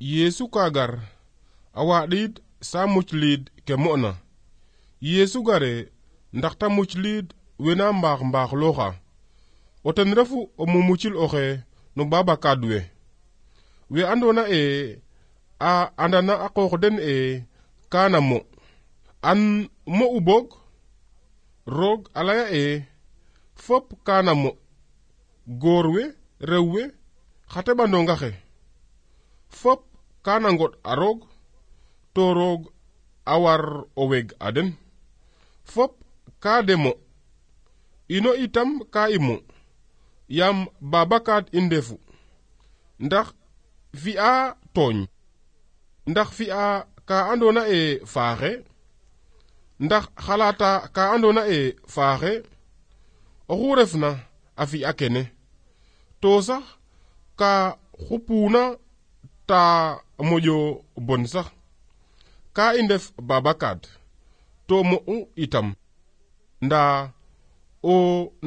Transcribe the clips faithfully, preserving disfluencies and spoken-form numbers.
Yesu kagar a waɗiid sa mucliid ke mo'na. Yesu gare ndax ta mucliid wena mbaax mbaax looxa o ten refu o mumucil oxe no babakaad we we andona e a andana a qoox den e kaana mo an mo'u boog roog a laya e fop kaana mo goor we rew we xa teɓanonga xe fop kaana ngoɗ a roog to roog a war o weg a den fop ka demo ino itam ka imo yaam babakaad i ndefu ndax fi'a tooñ ndax fi'a ka andona e faaxe ndax xalata ka andona e faaxe oxu refna a fi'a kene to sax ka xupuna ta moƴo bon sax ka i ndef babakaad to mo'u itam ndaa o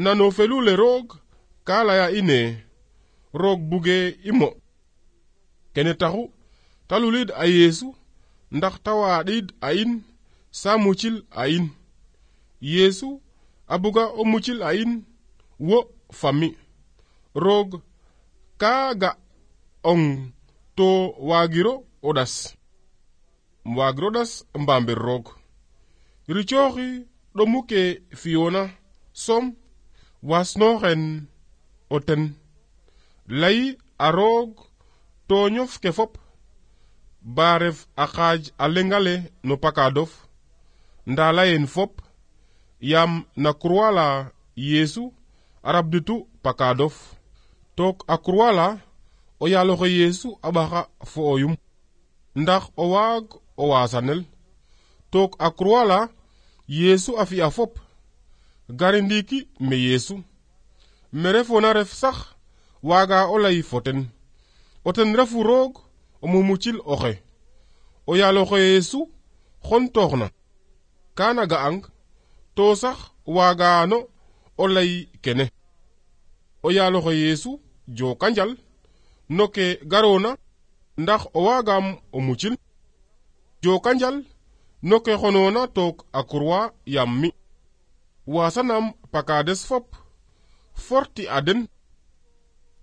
nano felule roog ka leya ine roog buge i mo kene taxu ta luliid a Yesu ndax ta waɗiid a in sa mucil a in. Yesu a buga o mucil a in wo fami roog ka ga ong to wagiro o ɗas wagiro ɗas mbamir roog ricooxi ɗomu ke fiyona som wasnoxen o ten layi a roog to ñof ke fop ba ref a xaaj a lengale no pakadof nda layen fop yaam na croix la Yesu a rabditu pakadof took a croix la o yaaloxe Yesu a ɓaxa fo oyum ndax o waag o wasanel took a croix la Yesu a fi'a fop gari ndiiki me Yesu me refona ref sax waaga o lay fo ten o ten refu roog o mumucil oxe o yaaloxe Yesu xontooxna kaana ga'ang to sax waagano o lay kene o yaaloxe Yesu jookanjal no ke garoona ndax o waagam o mucil jookanjal no ke xonoona took a croix yaam mi wasanam pakades fop forti a den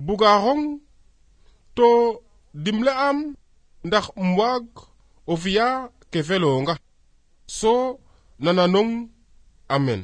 buga xong to dimle am ndax um waag o fi'a ke felonga so nananong amen.